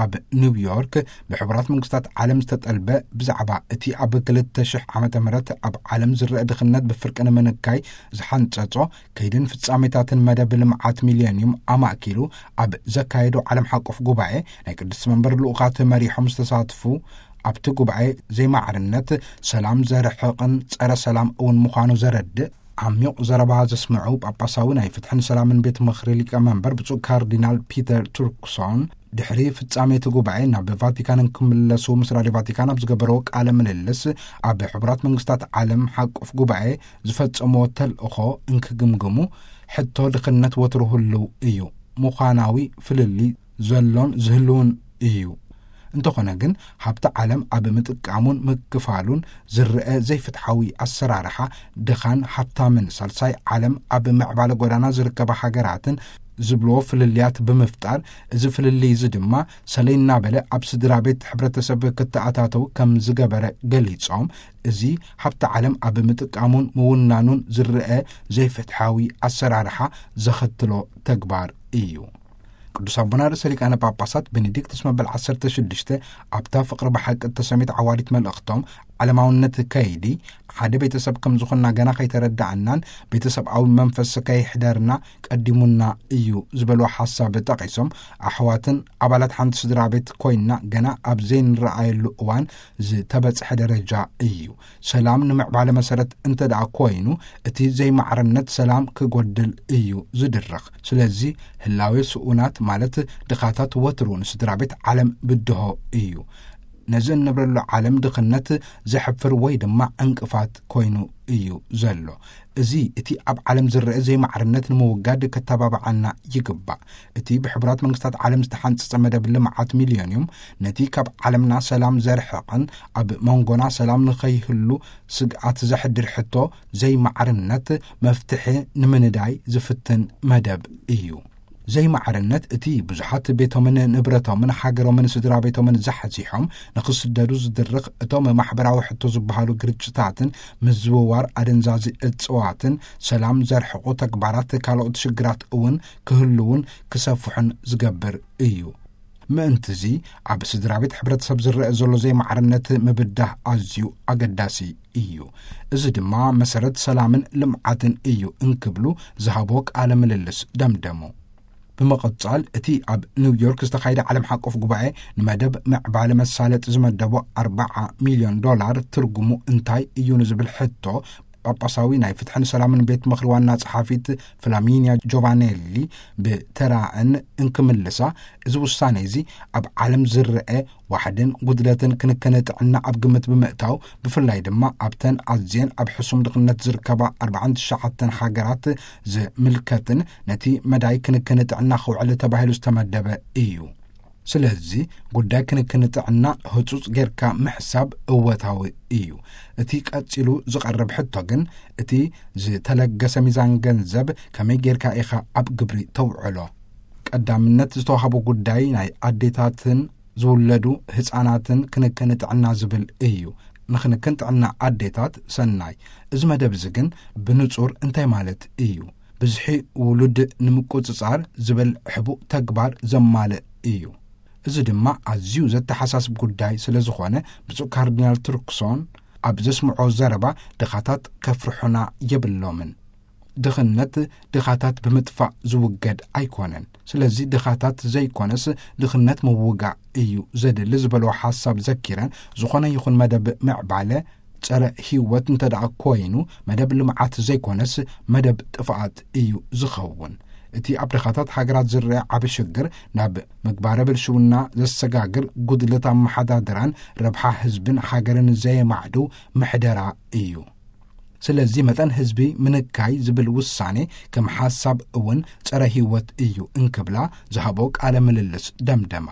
ኣብ ኒውዮርክ ብሕቡራት መንግስታት ዓለም ዝተጠልበ ብዛዕባ እቲ ኣብ ክልተ ሽሕ ዓመተ ምህረት ኣብ ዓለም ዝረአ ድኽነት ብፍርቂ ንምንካይ ዝሓንጸጾ ከይድን ፍጻሜታትን መደብ ልምዓት ሚልዮኒየም ኣማእኪሉ ኣብ ዘካየዶ ዓለም ሓቆፍ ጉባኤ ናይ ቅድስቲ መንበር ልኡኻት መሪሖም ዝተሳትፉ፣ ኣብቲ ጉባኤ ዘይማዕርነት፣ ሰላም ዘርሕቕን ጸረ ሰላም እውን ምዃኑ ዘረድእ ዓሚቕ ዘረባ ዘስምዑ ጳጳሳዊ ናይ ፍትሕን ሰላምን ቤት ምኽሪ ሊቀ መንበር ብፁዕ ካርዲናል ፒተር ቱርክሶን፣ ድሕሪ ፍጻሜ እቲ ጉባኤ ናብ ቫቲካን እንክምለሱ ምስ ራድዮ ቫቲካን ኣብ ዝገበረዎ ቃለ ምልልስ፣ ኣብ ሕቡራት መንግስታት ዓለም ሓቆፍ ጉባኤ ዝፈጸምዎ ተልእኾ እንክግምግሙ፣ ሕቶ ድኽነት ወትሩ ህልው እዩ፣ ምዃናዊ ፍልልይ ዘሎን ዝህልውን እዩ። እንተኾነ ግን፣ ሃብቲ ዓለም ኣብ ምጥቃሙን ምክፋሉን ዝረአ ዘይፍትሓዊ ኣሰራርሓ፣ ድኻን ሃብታምን ሳልሳይ ዓለም ኣብ ምዕባለ ጎዳና ዝርከባ ሃገራትን ዝብልዎ ፍልልያት ብምፍጣር፣ እዚ ፍልልይ እዚ ድማ ሰለይ እናበለ ኣብ ስድራ ቤት ሕብረተሰብ ክተኣታተው ከም ዝገበረ ገሊጾም፣ እዚ ሃብቲ ዓለም ኣብ ምጥቃሙን ምውናኑን ዝረአ ዘይፍትሓዊ ኣሰራርሓ ዘኸትሎ ተግባር እዩ። ቅዱስ ኣቦና ርእሰ ሊቃነ ጳጳሳት ቤኔዲክቱስ መበል ዓሰርተ ሽዱሽተ ኣብታ ፍቕሪ ብሓቂ እተሰምየት ዓዋዲት መልእኽቶም፣ ዓለማውነት ከይዲ ሓደ ቤተሰብ ከም ዝኾንና ገና ከይተረዳእናን ቤተሰብኣዊ መንፈስ ከይሕደርና ቀዲሙና እዩ ዝበልዎ ሓሳብ ጠቒሶም፣ ኣሕዋትን ኣባላት ሓንቲ ስድራ ቤት ኮይንና ገና ኣብ ዘይንረኣየሉ እዋን ዝተበጽሐ ደረጃ እዩ። ሰላም ንምዕባለ መሰረት እንተ ደኣ ኮይኑ፣ እቲ ዘይማዕርነት ሰላም ክጎድል እዩ ዝድርኽ። ስለዚ ህላዌ ስኡናት ማለት ድኻታት ወትሩ ንስድራ ቤት ዓለም ብድሆ እዩ። ነዚ እንብረሉ ዓለም ድኽነት ዘሕፍር ወይ ድማ ዕንቅፋት ኮይኑ እዩ ዘሎ። እዚ እቲ ኣብ ዓለም ዝረአ ዘይማዕርነት ንምውጋድ ከተባብዓና ይግባእ። እቲ ብሕቡራት መንግስታት ዓለም ዝተሓንጸጸ መደብ ልምዓት ሚልዮኒየም ነቲ ካብ ዓለምና ሰላም ዘርሕቕን ኣብ መንጎና ሰላም ንኸይህሉ ስግኣት ዘሕድር ሕቶ ዘይማዕርነት መፍትሒ ንምንዳይ ዝፍትን መደብ እዩ። ዘይማዕርነት እቲ ብዙሓት ቤቶምን ንብረቶምን ሃገሮምን ስድራ ቤቶምን ዛሕዚሖም ንኽስደዱ ዝድርኽ፣ እቶም ማሕበራዊ ሕቶ ዝበሃሉ ግርጭታትን ምዝውዋር ኣደንዛዚ እጽዋትን ሰላም ዘርሕቑ ተግባራት ካልኦት ሽግራት እውን ክህልውን ክሰፍሑን ዝገብር እዩ። ምእንትዚ ኣብ ስድራ ቤት ሕብረተሰብ ዝረአ ዘሎ ዘይማዕርነት ምብዳህ ኣዝዩ ኣገዳሲ እዩ። እዚ ድማ መሰረት ሰላምን ልምዓትን እዩ እንክብሉ ዝሃቦ ቃለ ምልልስ ደምደሙ። ብምቕጻል፣ እቲ ኣብ ኒውዮርክ ዝተኻየደ ዓለም ሓቆፍ ጉባኤ ንመደብ ምዕባለ መሳለጢ ዝመደቦ ኣርባዓ ሚልዮን ዶላር ትርጉሙ እንታይ እዩ ንዝብል ሕቶ፣ ጳጳሳዊ ናይ ፍትሕን ሰላምን ቤት ምኽሪ ዋና ጸሓፊት ፍላሚንያ ጆቫኔሊ ብተራእን እንክምልሳ፣ እዚ ውሳኔ እዚ ኣብ ዓለም ዝረአ ዋሕድን ጉድለትን ክንክን ጥዕና ኣብ ግምት ብምእታው፣ ብፍላይ ድማ ኣብተን ኣዝየን ኣብ ሕሱም ድኽነት ዝርከባ ኣርባዓን ትሽዓተን ሃገራት ዝምልከትን ነቲ መዳይ ክንክን ጥዕና ክውዕል ተባሂሉ ዝተመደበ እዩ። ስለዚ ጉዳይ ክንክን ጥዕና ህጹጽ ጌርካ ምሕሳብ እወታዊ እዩ። እቲ ቀጺሉ ዝቐርብ ሕቶ ግን፣ እቲ ዝተለገሰ ሚዛን ገንዘብ ከመይ ጌርካ ኢኻ ኣብ ግብሪ ተውዕሎ? ቀዳምነት ዝተዋህቦ ጉዳይ ናይ ኣዴታትን ዝውለዱ ህጻናትን ክንክን ጥዕና ዝብል እዩ። ንክንክን ጥዕና ኣዴታት ሰናይ። እዚ መደብ እዚ ግን ብንጹር እንታይ ማለት እዩ? ብዝሒ ውሉድ ንምቁጽጻር ዝብል ሕቡእ ተግባር ዘማልእ እዩ። እዚ ድማ ኣዝዩ ዘተሓሳስብ ጉዳይ ስለ ዝኾነ፣ ብፁዕ ካርዲናል ቱርክሶን ኣብ ዘስምዖ ዘረባ፣ ድኻታት ከፍርሑና የብሎምን። ድኽነት ድኻታት ብምጥፋእ ዝውገድ ኣይኮነን። ስለዚ ድኻታት ዘይኮነስ ድኽነት ምውጋእ እዩ ዘድሊ ዝበልዎ ሓሳብ ዘኪረን፣ ዝኾነ ይኹን መደብ ምዕባለ ጸረ ህይወት እንተ ደኣ ኮይኑ፣ መደብ ልምዓት ዘይኮነስ መደብ ጥፍኣት እዩ ዝኸውን። እቲ ኣብ ድኻታት ሃገራት ዝረአ ዓቢ ሽግር፣ ናብ ምግባረ ብልሽውና ዘሰጋግር ጉድለት ኣመሓዳድራን ረብሓ ህዝብን ሃገርን ዘየማዕድው ምሕደራ እዩ። ስለዚ መጠን ህዝቢ ምንካይ ዝብል ውሳኔ ከም ሓሳብ እውን ጸረ ህይወት እዩ እንክብላ ዝሃቦ ቃለ ምልልስ ደምደማ።